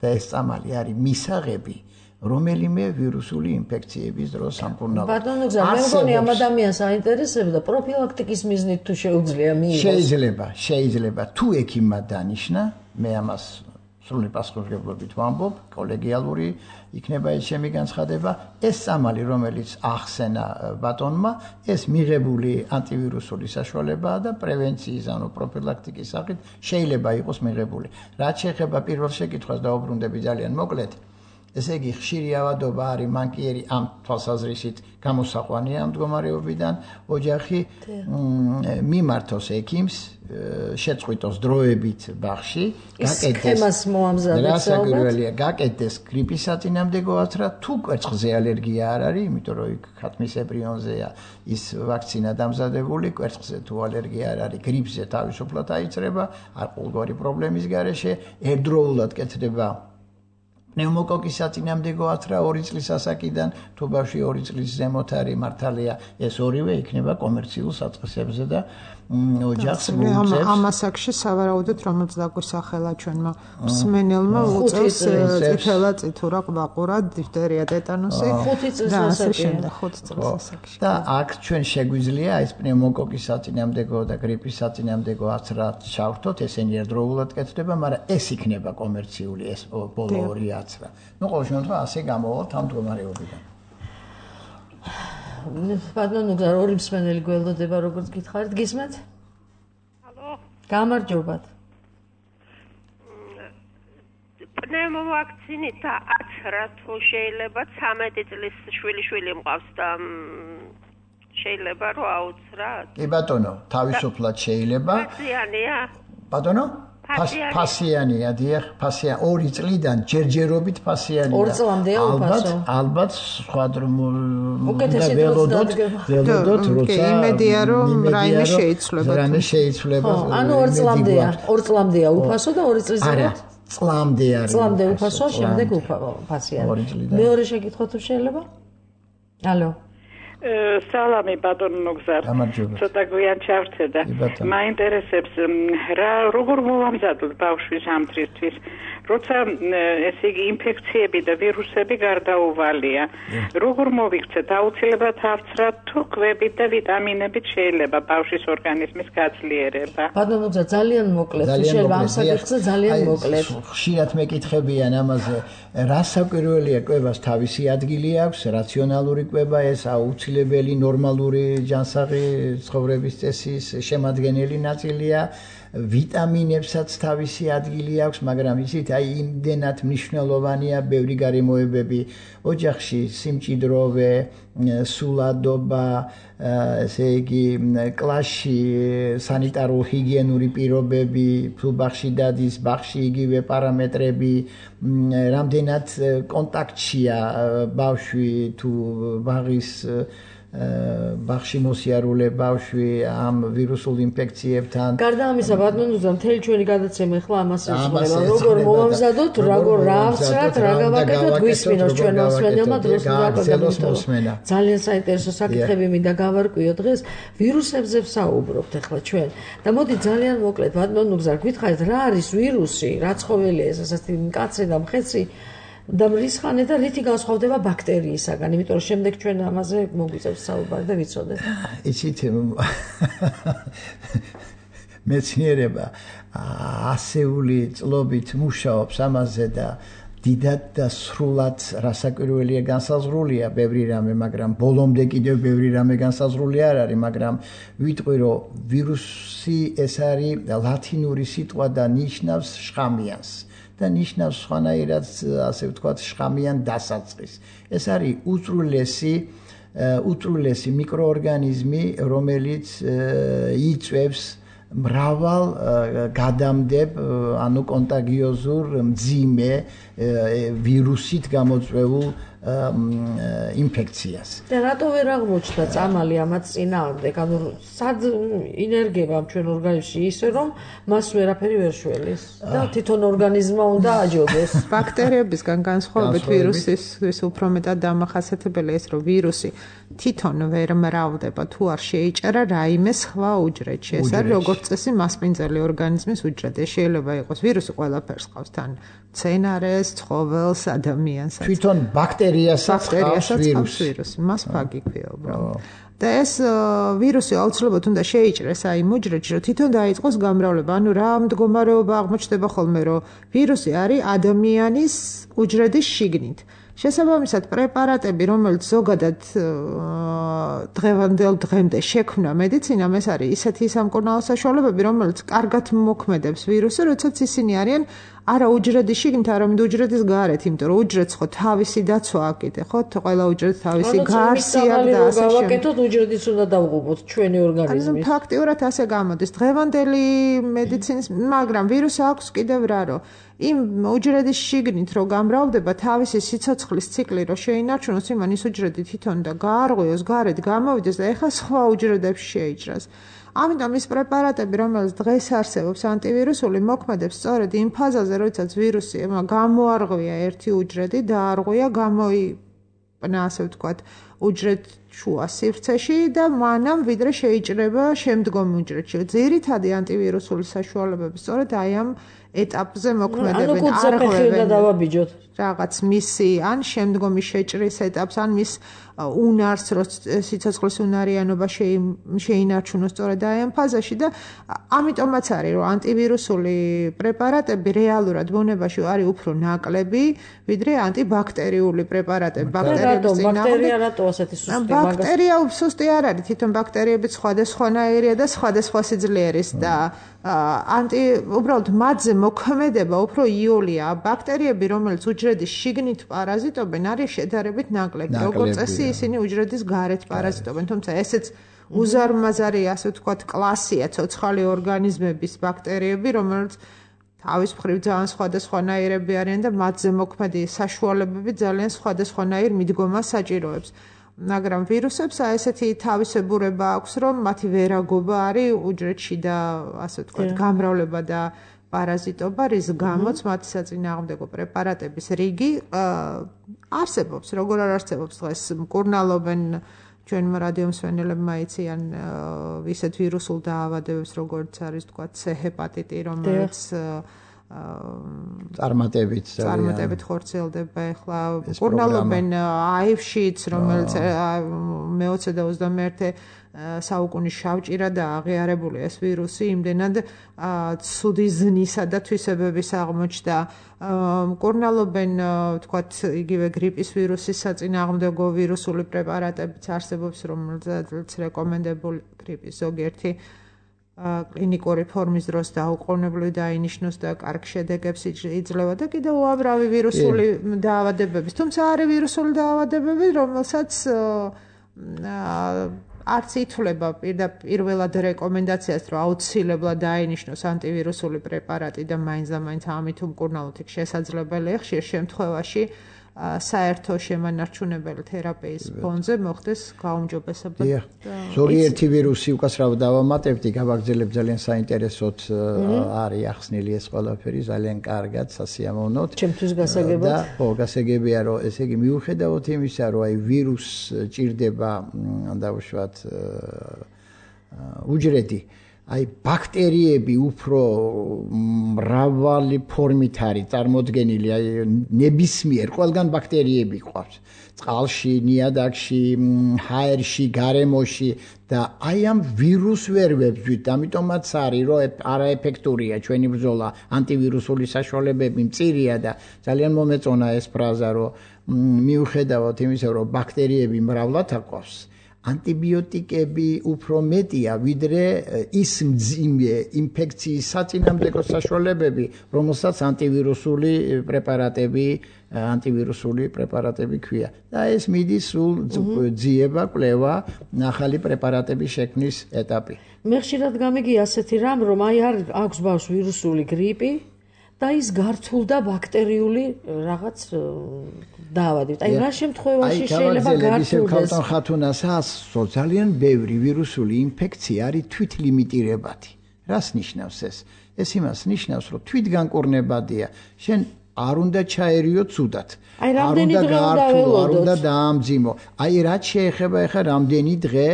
S1: და ეს სამალი არის მისაღები რომელიმე ვირუსული ინფექციების დროს სამკურნალოდ.
S2: ბატონო გზა, მე მგონი ამ ადამიანს აინტერესებდა პროფილაქტიკის მიზნით თუ შეუძლია მიიღოს.
S1: შეიძლება თუ ექიმმა დანიშნა, მე ამას სრული პასუხისმგებლობით ვამბობ, კოლეგიალური იქნება ეს ჩემი განცხადება, ეს სამალი რომელიც ახსენა ბატონმა, ეს მიღებული ანტივირუსული საშუალებაა და პრევენციის ანუ პროფილაქტიკის სახით შეიძლება იყოს მიღებული. რაც შეეხება პირველ შეკითხვას დაუბრუნდები ძალიან მოკლედ. ესე იგი ხშირი ავადობა არის მანკიერი ამ თვალსაზრისით გამოსაყვანია ამ მდგომარეობიდან ოჯახი მიმართოს ექიმს შეწყვიტოს დროებით ბაღში გაკეთდეს გრიპის საწინააღმდეგო აცრა თუ კვერცხზე ალერგია არ არის იმიტომ რომ იქ ხათმისებრიონზეა ის ვაქცინა დამზადებული კვერცხზე თუ ალერგია არ არის გრიპზე თავისუფლად აიწრება არ ყოველგვარი პრობლემის გარეშე ერთდროულად კეთდება პნევმოკოკის საწინააღმდეგო აცრა 2 წლის ასაკიდან თუ ბავშვი 2 წლის ზემოთ არის მართალია ეს ორივე იქნება კომერციულ საწყისებზე და ოჯახს მოუწევს
S3: ამ ასაკში სავარაუდოდ რომელიც დაგვისახელა ჩვენმა მსმენელმა უწევს წითელა წითურა ყვაყურა დიფტერია ტეტანუსი
S2: 5 წლის
S3: ასაკში
S1: და აქ ჩვენ შეგვიძლია ეს პნევმოკოკის საწინააღმდეგო და გრიპის საწინააღმდეგო აცრა ჩავრთოთ ესენი ერთდროულად კეთდება მაგრამ ეს იქნება კომერციული ეს ბოლო ორი აცრა ნუ ყოველ შემთხვევაში ასე გამოვალთ ამ მდგომარეობიდან
S2: ბატონო გზა ორი მსმენელი გველოდება როგორც გითხარით გისმენთ?
S6: ალო
S2: გამარჯობათ
S6: პნევმოვაქცინით აცრა თუ შეიძლება 13 წლის შვილი მყავს და შეიძლება რომ აუცრათ?
S1: კი ბატონო თავისუფლად შეიძლება
S6: ფასიანია?
S1: ბატონო ფასიანია დიახ ფასია 2 წლიდან ჯერჯერობით ფასიანია
S2: 2 წლამდეა უფასო
S1: ალბათ სხვა
S2: უკეთესი ველოდოთ
S1: როცა
S3: იმედია რომ რაიმე შეიცვლება
S2: ანუ 2 წლამდეა უფასო და 2 წლის ზემოთ
S1: წლამდე არის
S2: წლამდე უფასო შემდეგ ფასიანი მეორე შეკითხვა თუ შეიძლება ალო
S7: სალამი ბატონო გზარ ცოტა გვიან ჩავრცე და მაინტერესებს რა როგორ მოვამზადოთ ბავშვის ამდრისთვის როცა ესე იგი ინფექციები და ვირუსები გარდაუვალია როგორ მოვიქცეთ აუცილებლად ავცრათ თუ კვებით და ვიტამინებით შეიძლება ბავშვის ორგანიზმის გაძლიერება
S2: ბატონო გზა ძალიან მოკლედ შეიძლება ამ საკითხზე ძალიან მოკლედ
S1: ხშირად მეკითხებიან ამაზე რა საკვირველია კვებას თავისი ადგილი აქვს რაციონალური კვება ეს აუცილებელი ნორმალური ჯანსაღი ცხოვრების წესის შემადგენელი ნაწილია ვიტამინებსაც თავისი ადგილი აქვს მაგრამ იცით აი იმდენად მნიშვნელოვანია ბევრი გარემოებები ოჯახში სიმჭიდროვე სულადობა ესე იგი კლასში სანიტარულ ჰიგიენური პირობები თუ ბაღში დადის ბაღში იგივე პარამეტრები რამდენად კონტაქტშია ბავშვი თუ ბაღში მოსიარულე ბავშვი ამ ვირუსულ ინფექციებთან.
S2: გარდა ამისა, ბატონო, მთელი ჩვენი გადაცემა ახლა ამას ისწრება, როგორ მოვამზადოთ, როგორ რა ავცრათ, რა გავაკეთოთ, გვისმინოს ჩვენ მოსმენელმა დროს
S1: გავაკეთოთ.
S2: ძალიან საინტერესო საკითხები მინდა გავარკვიო დღეს. ვირუსებზე ვსაუბრობთ ახლა ჩვენ. და მოდი ძალიან მოკლედ, ბატონო, გზა გითხარით, რა არის ვირუსი, რა ცხოველია ეს ასეთი მკაცრი და მხეცრი და მრისხანე და რითი განსხვავდება ბაქტერიისაგან, იმიტომ რომ შემდეგ ჩვენ ამაზე მოგვიწევს საუბარი და ვიცოდეთ.
S1: იცით მეცნიერება ასეული წლობით მუშაობს ამაზე და დიდად და სრულად რასაკვირველია განსაზღვრულია ბევრი რამე, მაგრამ ბოლომდე კიდევ ბევრი რამე განსაზღვრული არ არის, მაგრამ ვიტყვი რომ ვირუსი ეს არის ლათინური სიტყვა და ნიშნავს შხამიანს. და ნიშნავს სხვანაირად ასე ვთქვათ შხამიან დასაწყის. ეს არის უწვრილესი მიკროორგანიზმი, რომელიც იწვევს მრავალ გადამდებ ანუ კონტაგიოზურ მძიმე ვირუსით გამოწვეულ ინფექციას.
S2: და რატო ვერ აღმოჩნდა წამალი ამაც წინააღმდეგ? ანუ სად ინერგება ჩვენ ორგანიზმში ისე რომ მას ვერაფერი ვერ შველის და თვითონ ორგანიზმმა უნდა აჯობოს.
S3: ბაქტერიებისგან განსხვავებით ვირუსის უფრო მეტად დამახასიათებელია ეს რომ ვირუსი თვითონ ვერ მრავლდება თუ არ შეიჭერა რაიმე სხვა უჯრედში. ეს არის როგორც წესი მასპინძელი ორგანიზმის უჯრედი. შეიძლება იყოს ვირუსი ყველაფერს ყავს თან მცენარეს, ცხოველს, ადამიანს.
S1: თვითონ ბაქტერიასაც ყავს
S3: ვირუსი. მას ფაგი ქვია უბრალოდ. და ეს ვირუსი აუცილებლად უნდა შეიჭრეს აი უჯრედში, რომ თვითონ დაიწყოს გამრავლება. ანუ რა მდგომარეობა აღმოჩნდება ხოლმე, რომ ვირუსი არის ადამიანის უჯრედის შიგნით. შესაბამისად პრეპარატები, რომელიც ზოგადად დღევანდელ დღემდე შექმნა მედიცინამ, ეს არის ისეთი სამკურნალო საშუალებები, რომელიც კარგად მოქმედებს ვირუსზე, როდესაც ისინი არიან არა უჯრედის შიგნით, არამედ უჯრედის გარეთ, იმიტომ რომ უჯრედს ხო თავისი დაცვა აკეთე, ხო? ყველა უჯრედს თავისი გარსი აქვს და ასე შემდეგ.
S2: გავაკეთოთ უჯრედის უნდა დავუღობოთ ჩვენი ორგანიზმის.
S3: ანუ ფაქტიურად ასე გამოდის. დღევანდელი მედიცინის, მაგრამ ვირუსი აქვს კიდევ რა, რომ იმ უჯრედის შიგნით რო გამრავლდება თავისი სიცოცხლის ციკლი რო შეინარჩუნოს, იმან ის უჯრედი თვითონ და გაარღვიოს, გარეთ გამოვიდეს და ეხლა სხვა უჯრედებში შეიჭრას. ამიტომ ის პრეპარატები, რომელიც დღეს არსებობს ანტივირუსული, მოქმედებს სწორედ იმ ფაზაზე, როდესაც ვირუსი გამოარღვია ერთი უჯრედი, დაარღვია, გამოიპნა, ასე ვთქვათ, უჯრედ შუა სივრცეში და მანამ ვიდრე შეიჭრება შემდგომი უჯრედში. ძირითადი ანტივირუსული საშუალებები სწორედ აი ამ ეტაპზე მოქმედებენ.
S2: ანუ კუცაფეხი დავაბიჯოთ.
S3: რაღაც მისი ან შემდგომი შეჭრის ეტაპს, ან მის უნარს, რო სიცოცხლის უნარიანობა შეინარჩუნოს სწორედ აი ამ ფაზაში და ამიტომაც არის, რომ ანტივირუსული პრეპარატები რეალურად ბუნებაში არის უფრო ნაკლები, ვიდრე ანტიბაქტერიული პრეპარატები.
S2: ბაქტერია რატო ასეთი სუსტია?
S3: ბაქტერია სუსტი არ არის, თვითონ ბაქტერიები სხვადასხვანაირია და სხვადასხვა სიძლიერის და უბრალოდ მათზე მოქმედება უფრო იოლია. ბაქტერიები, რომელიც უჯრედის შიგნით პარაზიტობენ, არის შედარებით ნაკლები. როგორც წესი, ისინი უჯრედის გარეთ პარაზიტობენ, თუმცა ესეც უზარმაზარი, ასე ვთქვათ, კლასია ცოცხალი ორგანიზმების ბაქტერიები, რომელიც თავის მხრივ ძალიან სხვადასხვანაირები არიან და მათზე მოქმედი საშუალებები ძალიან სხვადასხვანაირ მიდგომას საჭიროებს. მაგრამ ვირუსებს ესეთი თავისებურება აქვს, რომ მათი ვერაგობა არის უჯრედში და ასე ვთქვათ, გამრავლება და პარაზიტობა, რის გამოც მათი საწინააღმდეგო პრეპარატების რიგი არსებობს. როგორ არ არსებობს დღეს მკურნალობენ ჩვენმა რადიომსვენელებმა იციან ისეთ ვირუსულ დაავადებებს, როგორც არის თქვა C ჰეპატიტი, რომელიც წარმატებით ხორციელდება ახლა მკურნალობენ HIV-შიც, რომელიც მე-20 და 21 საუკუნის შავჭირა და აღიარებული ეს ვირუსი იმდენად ცუდი ზნისა და თვისებების აღმოჩნდა. მკურნალობენ თქვათ იგივე გრიპის ვირუსის საწინააღმდეგო ვირუსული პრეპარატებიც არსებობს, რომელზეც რეკომენდებული გრიპის ზოგიერთი კლინიკური ფორმის დროს დაუყოვნებლივ დაინიშნოს და კარგ შედეგებს იძლევა და კიდევ უამრავი ვირუსული დაავადებების. თუმცა არის ვირუსული დაავადებები, რომელსაც არც ითვლება პირველად რეკომენდაციას, რომ აუცილებლად დაინიშნოს ანტივირუსული პრეპარატი და მაინც ამით უმკურნალოთ იქ შესაძლებელია ხშირ შემთხვევაში საერთო შემანარჩუნებელი თერაპიის ფონზე მოხდეს გაუმჯობესება.
S1: ზოგიერთი ვირუსი უკაცრავად დავამატებდი, გავაგრძელებ ძალიან საინტერესოდ არის ახსნილი ეს ყველაფერი, ძალიან კარგად, სასიამოვნოდ.
S2: ჩემთვის გასაგებად.
S1: ხო, გასაგებია, რომ ესე იგი მიუხედავად იმისა, რომ აი ვირუსს ჭირდება, დავუშვათ უჯრედი, აი ბაქტერიები უფრო მრავალი ფორმით არის წარმოდგენილი, აი ნებისმიერ ყველგან ბაქტერიები ყავს. წყალში, ნიადაგში, ჰაერში, გარემოში და აი ამ ვირუს ვერ ვებძვით, ამიტომაც არის, რომ არაეფექტურია ჩვენი ბრძოლა, ანტივირუსული საშუალებები მწირია და ძალიან მომეწონა ეს ფრაზა, რომ მიუხედავად იმისა, რომ ბაქტერიები მრავლად აყვავს, ანტიბიოტიკები უფრო მეტია, ვიდრე ის მძიმე ინფექციის საწინააღმდეგო საშუალებები, რომელსაც ანტივირუსული პრეპარატები ქვია. და ეს მიდის სულ ძიება, კვლევა, ახალი პრეპარატების შექმნის ეტაპი.
S2: მე ხშირად გამიგია ასეთი რამ, რომ აი აქვს ბავშვს ვირუსული გრიპი და ის გართულდა ბაქტერიული რაღაც დაავადებით. აი რა შემთხვევაში შეიძლება გართულდეს?
S1: ხათუნასაც ძალიან ბევრი ვირუსული ინფექცია არის თვითლიმიტირებადი. რას ნიშნავს ეს? ეს იმას ნიშნავს, რომ თვითგანკურნებადია. შენ არ უნდა ჩაერიო ცუდად.
S2: არ უნდა
S1: გაართულო, არ უნდა დაამძიმო. აი რაც შეეხება ახლა რამდენი დღე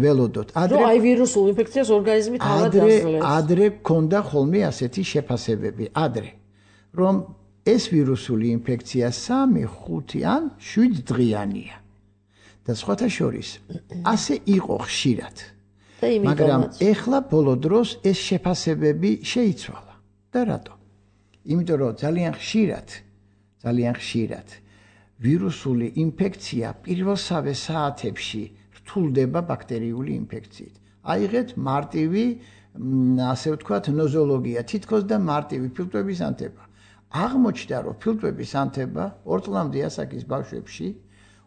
S1: ველოდოთ.
S2: რომ აი ვირუსულ ინფექციას ორგანიზმი თავად დასრულებს.
S1: ადრე გქონდა ხოლმე ასეთი შეფასებები, რომ ეს ვირუსული ინფექცია 3, 5 ან 7 დღიანია. და სხვათა შორის ასე იყო ხშირად. მაგრამ ეხლა ბოლო დროს ეს შეფასებები შეიცვალა. და რატო? იმიტომ რომ ძალიან ხშირად ვირუსული ინფექცია პირველსავე საათებში რთულდება ბაქტერიული ინფექციით. აიღეთ მარტივი, ასე ვთქვათ, ნოზოლოგია, თითქოს და მარტივი ფილტვების ანთება. აღმოჩნდა, რომ ფილტვების ანთება 2 წლამდე ასაკის ბავშვებში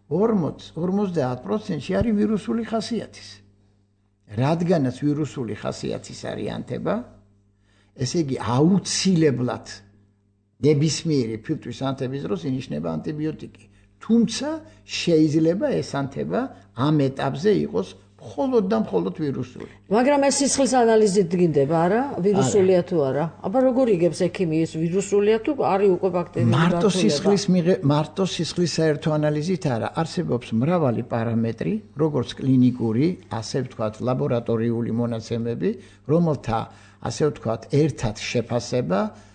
S1: 50% არის ვირუსული ხასიათის. რადგანაც ვირუსული ხასიათის არის ანთება, ესე იგი აუცილებლად ნებისმიერი ფილტვის ანთების დროს ინიშნება ანტიბიოტიკი. თუმცა შეიძლება ეს ანთება ამ ეტაპზე იყოს მხოლოდ ვირუსული.
S2: მაგრამ ეს სისხლის ანალიზით დგინდება, არა? ვირუსულია თუ არა? აბა როგორ იგებს ექიმი ეს ვირუსულია თუ არის უკვე ბაქტერიული გართულება?
S1: მარტო სისხლის საერთო ანალიზით არა, არსებობს მრავალი პარამეტრი, როგორც კლინიკური, ასე ვთქვათ, ლაბორატორიული მონაცემები, რომელთა, ასე ვთქვათ, ერთად შეფასება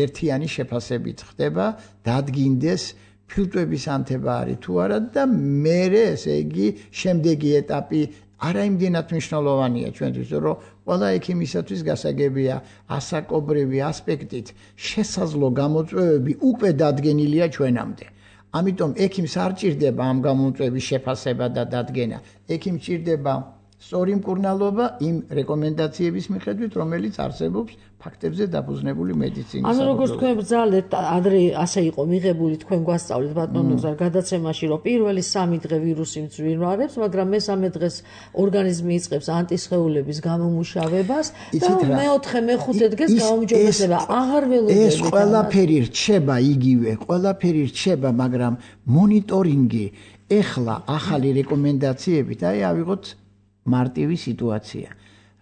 S1: ერთიანი შეფასებით ხდება, დადგინდეს ფილტვების ანთება არის თუ არა და მერე, ესე იგი, შემდეგი ეტაპი არა იმდენად მნიშვნელოვანია ჩვენთვის, რომ ყველა ექიმისათვის გასაგებია ასაკობრივი ასპექტით შესაძლო გამოწვევები უკვე დადგენილია ჩვენამდე. ამიტომ ექიმს არ ჭირდება ამ გამოწვევის შეფასება და დადგენა. ექიმს ჭირდება სწორი მკურნალობა იმ რეკომენდაციების მიხედვით, რომელიც არსებობს ფაქტებზე დაფუძნებული მედიცინის.
S2: ანუ როგორც თქვენ ბრძალეთ, ადრე ასე იყო მიღებული, თქვენ გვასწავლეთ ბატონო გზარ გადაცემაში, რომ პირველი 3 დღე ვირუსი მძვირვარებს, მაგრამ მესამე დღეს ორგანიზმი იწყებს ანტისხეულების გამომუშავებას და მეოთხე, მეხუთე დღეს გაუმჯობესება. აღარ ველოდებით.
S1: ეს ყველაფერი რჩება იგივე, მაგრამ მონიტორინგი ეხლა ახალი რეკომენდაციებით, აი ავიღოთ მარტივი სიტუაცია.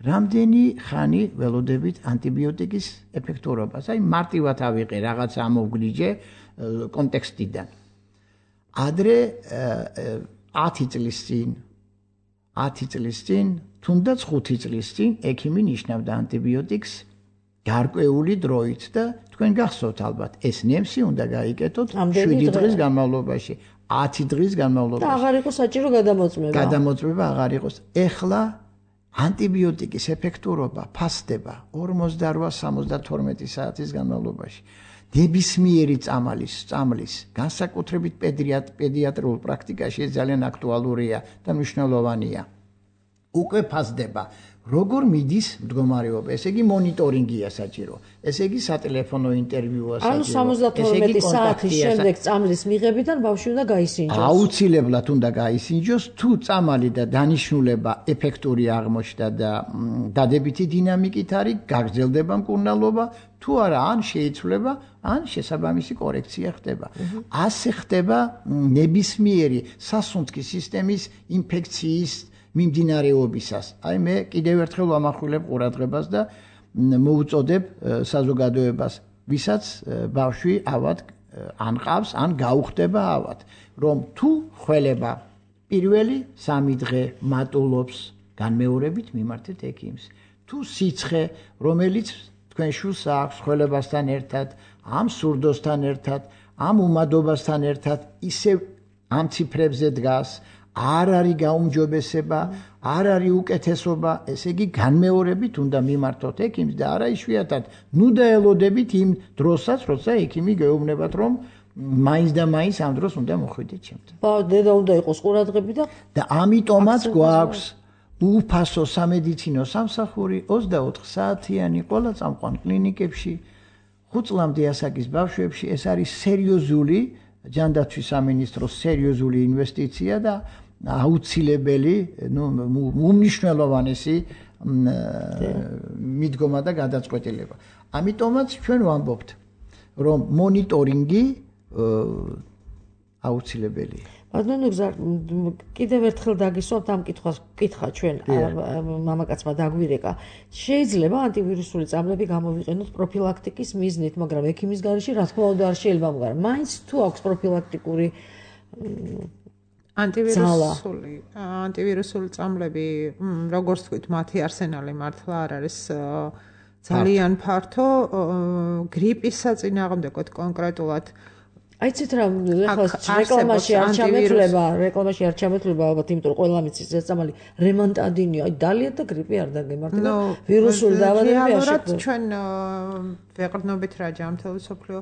S1: რამდენი ხანი ველოდებით ანტიბიოტიკის ეფექტურობას? აი მარტივად ავიღე რაღაც ამოვგლიჯე კონტექსტიდან. ადრე 10 წლის წინ, თუნდაც 5 წლის წინ ექიმი ნიშნავდა ანტიბიოტიკს გარკვეული დროით და თქვენ გახსოვთ ალბათ, ეს ნემსი უნდა გაიკეთოთ 7 დღის განმავლობაში. 10 დღის განმავლობაში.
S2: და აღარ იყოს საჭირო გადამოწმება.
S1: გადამოწმება აღარ იყოს. ეხლა ანტიბიოტიკის ეფექტურობა ფასდება 48-72 საათის განმავლობაში. ნებისმიერი წამლის, განსაკუთრებით პედიატრიულ პრაქტიკაში ეს ძალიან აქტუალურია და მნიშვნელოვანია. უკვე ფასდება. როგორ მიდის მდგომარეობა? ესე იგი მონიტორინგია საჭირო. ესე იგი სატელეფონო ინტერვიუა საჭირო.
S2: ანუ 72 საათის შემდეგ წამლის მიღებიდან ბავშვი უნდა გაისინჯოს.
S1: აუცილებლად უნდა გაისინჯოს, თუ წამალი და დანიშნულება ეფექტური აღმოჩნდა და დადებითი დინამიკით არის, გაგრძელდება მკურნალობა, თუ არა, ან შეიცვლება, ან შესაბამისი კორექცია ხდება. ასე ხდება ნებისმიერი სასუნთქი სისტემის ინფექციის მიმდინარეობისას. აი მე კიდევ ერთხელ ვამახვილებ ყურადღებას და მოვუწოდებ საზოგადოებას, ვისაც ბავშვი ავად ან ყავს, ან გაუხდება ავად, რომ თუ ხველება პირველი 3 დღე მატულობს, განმეორებით მიმართეთ ექიმს. თუ სიცხე, რომელიც თქვენ შულს აქვს ხველებასთან ერთად, ამ სურდოსთან ერთად, ამ უმადობასთან ერთად, ისევ ამ ციფრებზე დგას, არ არის გაუმჯობესება, არ არის უკეთესობა, ესე იგი განმეორებით უნდა მიმართოთ ექიმს და არა იშვიათად. ნუ დაელოდებით იმ დროსაც, როცა ექიმი გეუბნებათ, რომ მაინც და მაინც ამ დროს უნდა მოხვიდეთ ჩემთან.
S2: დედა უნდა იყოს ყურადღები
S1: და ამიტომაც გვაქვს უფასო სამედიცინო სამსახური 24 საათიანი ყველა წამყვან კლინიკებში 5 წლამდე ასაკის ბავშვებში. ეს არის სერიოზული ჯანდაცვის სამინისტროს სერიოზული ინვესტიცია და აუცილებელი უმნიშვნელოვანესი მიდგომა და გადაწყვეტილება. ამიტომაც ჩვენ ვამბობთ რომ მონიტორინგი აუცილებელია.
S2: ბატონო გზა კიდევ ერთხელ დაგისვამთ ამ კითხვას კითხა ჩვენ მამაკაცმა დაგვირეკა. შეიძლება ანტივირუსული წამლები გამოვიყენოთ პროფილაქტიკის მიზნით, მაგრამ ექიმის გარეშე რა թქმა უნდა არ შეიძლება მაგრამ მაინც თუ აქვს პროფილაქტიკური
S3: ანტივირუსული წამლები, როგორც თქვით, მათი არსენალი მართლა არ არის ძალიან ფართო, გრიპის საწინააღმდეგოდ კონკრეტულად
S2: აიცით რა რეკლამაში არ ჩამეთვლება ალბათ, იმიტომ რომ ყველა მიცის ეს წამალი რემონტადინია, აი დალია და გრიპი არ დაგემართება. ვირუსული დაავადებები არ შექმნა.
S3: ჩვენ ვეყრდნობით რა ჯანმრთელობის მსოფლიო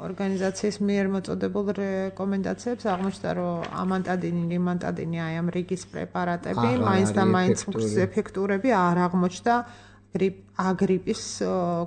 S3: ორგანიზაციის მიერ მოწოდებულ რეკომენდაციებს აღმოჩნდა, რომ ამანტადინი, ლიმანტადინი, აი ამ რიგის პრეპარატები მაინც და მაინც ეფექტურები არ აღმოჩნდა აგრიპის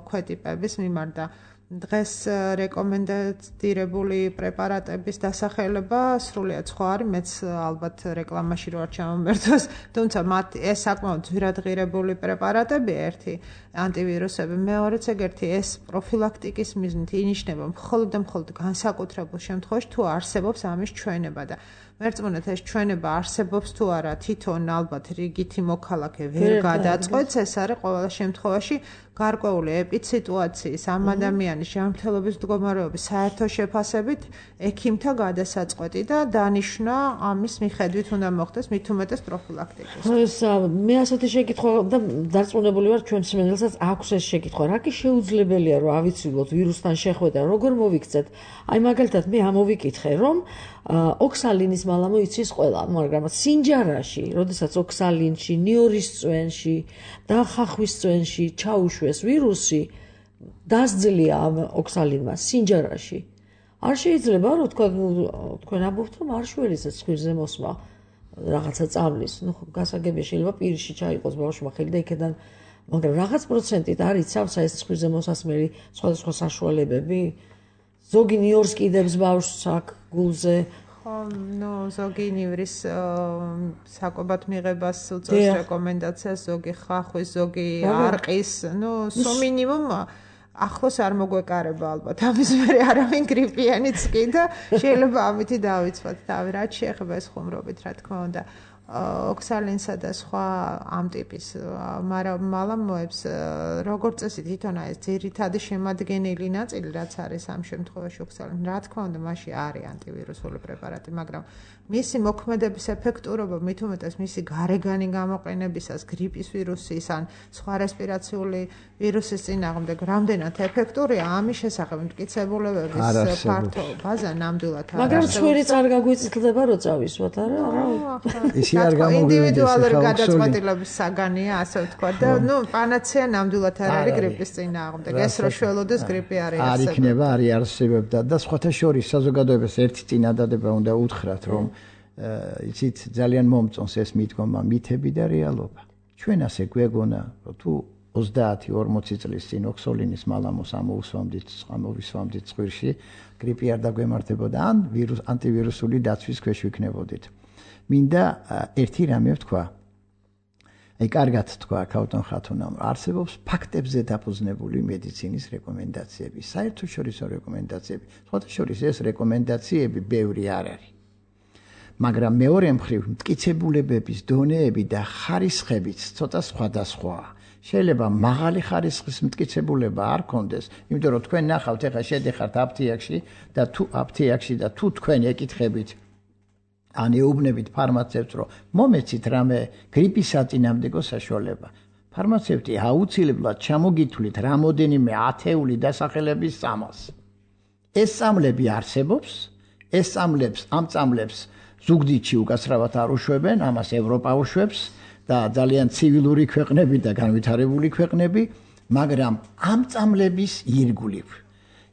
S3: ქვეტიპების მიმართ და დღეს რეკომენდირებული პრეპარატების დასახელება სრულიად სხვა არის, მეც ალბათ რეკლამაში რო არ ჩამომერთოს, თუმცა მათ ეს საკმაოდ ძვირადღირებული პრეპარატები ერთი ანტივირუსები, მეორეც ეგერთი ეს პროფილაქტიკის მიზნით ინიშნება მხოლოდ და მხოლოდ განსაკუთრებულ შემთხვევაში თუ არსებობს ამის ჩვენება და მერწმუნეთ ეს ჩვენება არსებობს თუ არა თვითონ ალბათ რიგითი მოქალაქე ვერ გადაწყვეტს, ეს არის ყველა შემთხვევაში გარკვეული ეპიდსიტუაციის ამ ადამიანის ჯანმრთელობის მდგომარეობის საერთო შეფასებით ექიმთა გადასაწყვეტი და დანიშვნა ამის მიხედვით უნდა მოხდეს მით უმეტეს პროფილაქტიკის.
S2: მე ასეთი შეკითხვა და დარწმუნებული ვარ ჩვენ მსმენელსაც აქვს ეს შეკითხვა. რა კი შეუძლებელია რომ ავიცილოთ ვირუსთან შეხვედრა, როგორ მოვიქცეთ? აი მაგალითად მე ამოვიკითხე რომ ოქსალინის მალა მოიცის ყველა, მაგრამ სინჯარაში, როდესაც ოქსალინში, ნიორის წვენში და ხახვის წვენში ჩაუშვეს ვირუსი, დასძლია ამ ოქსალინმა სინჯარაში. არ შეიძლება რომ თქვენ ამბობთ რომ არ შველისაც ხვირზე მოსმა რაღაცა წამლის, გასაგებია შეიძლება პირში ჩაიყოს ბავშვმა ხელი და იქიდან, მაგრამ რაღაც პროცენტით არ იცავს ეს ხვირზე მოსასმელი სხვადასხვა საშუალებები. ზოგი ნიორს კიდებს ბავშვს აქ გულზე.
S3: ზოგი ნივრის საკვებად მიღებას უწევს რეკომენდაციას, ზოგი ხახვის, ზოგი არყის, სულ მინიმუმ ახლოს არ მოგვეკარება ალბათ. ამის მერე არავინ გრიპიანიც კი და შეიძლება ამითი დავიცვათ თავი, რაც შეეხება ეს ხუმრობით, რა თქმა უნდა. ოქსალინსა და სხვა ამ ტიპის მალამოებს როგორც წესი თვითონ ეს ძირითადი შემადგენელი ნაწილი რაც არის ამ შემთხვევაში ოქსალინი, რა თქმა უნდა მასში არის ანტივირუსული პრეპარატი, მაგრამ მისი მოქმედების ეფექტურობა მით უმეტეს მისი გარეგანი გამოყენებისას გრიპის ვირუსის ან სხვა რესპირაციული ვირუსის წინააღმდეგ რამდენად ეფექტურია, ამის შესახებ მტკიცებულებების ფართო ბაზა ნამდვილად არის.
S2: მაგრამ ცხვირიც არ გაგვიწილდება რო წავისვათ, არა?
S3: ინდივიდუალური გადაწყვეტილების საგანია, ასე ვთქვა და პანაცეა ნამდვილად არ არის გრიპის წინააღმდეგ. ეს რო შველოდეს გრიპი არის
S1: არ იქნება, არის არსებობდა და სხვათა შორის საზოგადოებას ერთი წინადადება უნდა უთხრათ, რომ იცით ძალიან მომწონს ეს მიდგომა მითები და რეალობა. ჩვენ ასე გვეგონა, რომ თუ 30-40 წლის წინ ოქსალინის მალამოს ამოვისვამდით ცხვირში, გრიპი არ დაგვემართებოდა ან ანტივირუსული დაცვის ქვეშ ვიქნებოდით. მინდა ერთი რამე ვთქვა. აი კარგად თქვა ქავტონ ხათუნამ, არსებობს ფაქტებზე დაფუძნებული მედიცინის რეკომენდაციები, საერთაშორისო რეკომენდაციები. სხვათა შორის ეს რეკომენდაციები ბევრი არ არის. მაგრამ მეორე მხრივ მტკიცებულებების დონეები და ხარისხებიც ცოტა სხვადასხვაა. შეიძლება მაღალი ხარისხის მტკიცებულება არ კონდეს, იმიტომ რომ თქვენ ნახავთ ეხლა შედიხართ აფთიაქში და თუ თქვენ ეკითხებით ან ეუბნებით ფარმაცევტს, რომ მომეცით რამე გრიპის საწინააღმდეგო საშუალება. ფარმაცევტი აუცილებლად ჩამოგითვლით რამოდენიმე ათეული დასახელების წამალს. ეს წამლები არსებობს, ამ წამლებს ზუგდიდში უკაცრავად არ უშვებენ, ამას ევროპა უშვებს და ძალიან ცივილური ქვეყნები და განვითარებული ქვეყნები, მაგრამ ამ წამლების ირგვლივ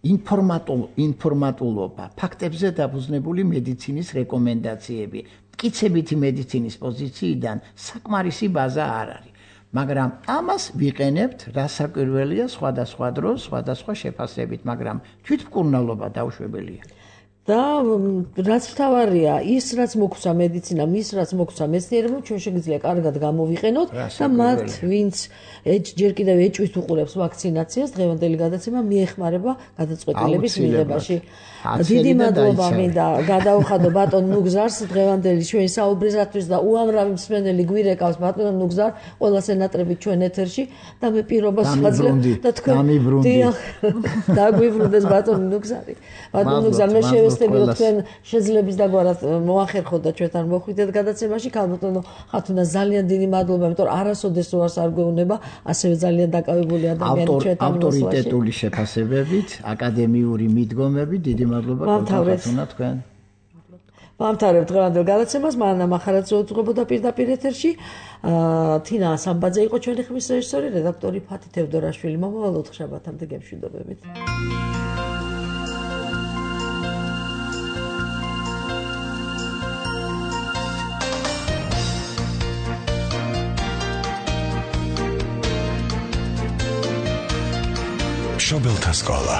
S1: ინფორმატულობა, ფაქტებზე დაფუძნებული მედიცინის რეკომენდაციები, მტკიცებითი მედიცინის პოზიციიდან საკმარისი ბაზა არ არის. მაგრამ ამას ვიყენებთ, რასაკვირველია სხვადასხვა დროს, სხვადასხვა შეფასებით, მაგრამ თვითმკურნალობა დაუშვებელია.
S2: და რაც მთავარია, ის რაც მოგვცა მედიცინამ, ის რაც მოგვცა მეცნიერებმა, ჩვენ შეგვიძლია კარგად გამოვიყენოთ და მათ, ვინც ჯერ კიდევ ეჭვით უყურებს ვაქცინაციას, დღევანდელი გადაცემა მიეხმარება გადაწყვეტილების მიღებაში. დიდი მადლობა მინდა გადაუხადო ბატონ ნუგზარს დღევანდელი ჩვენი საუბრისათვის და უამრავი მსმენელი გვირეკავს ბატონ ნუგზარ, ყველა სენატრებით ჩვენ ეთერში და მე პირობას ვაძლევ და თქვენ დაგვიბრუნდეს ბატონ ნუგზარი. ბატონ ნუგზარ, მე შევესწრებოდო თქვენ შეძლების დაგვარად მოახერხოთ და ჩვენთან მოხვიდეთ გადაცემაში. ქალბატონო ხათუნა, ძალიან დიდი მადლობა, იმიტომ რომ არასოდეს უარს არ გვეუბნება ასევე ძალიან დაკავებული ადამიანი ჩვენთან მოსვლაში.
S1: ავტორიტეტული შეფასებებით, აკადემიური მიდგომები, დიდი მადლობა ხათუნა თქვენ.
S2: ვამთავრებთ დღევანდელ გადაცემას, მანანა მახარაძე უძღვებოდა პირდაპირ ეთერში. თინა სამბაძე იყო ჩვენი ხმის რეჟისორი, რედაქტორი ფათი თევდორაშვილი. მომავალ ოთხშაბათამდე გემშვიდობებით.
S8: მშობელთა სკოლა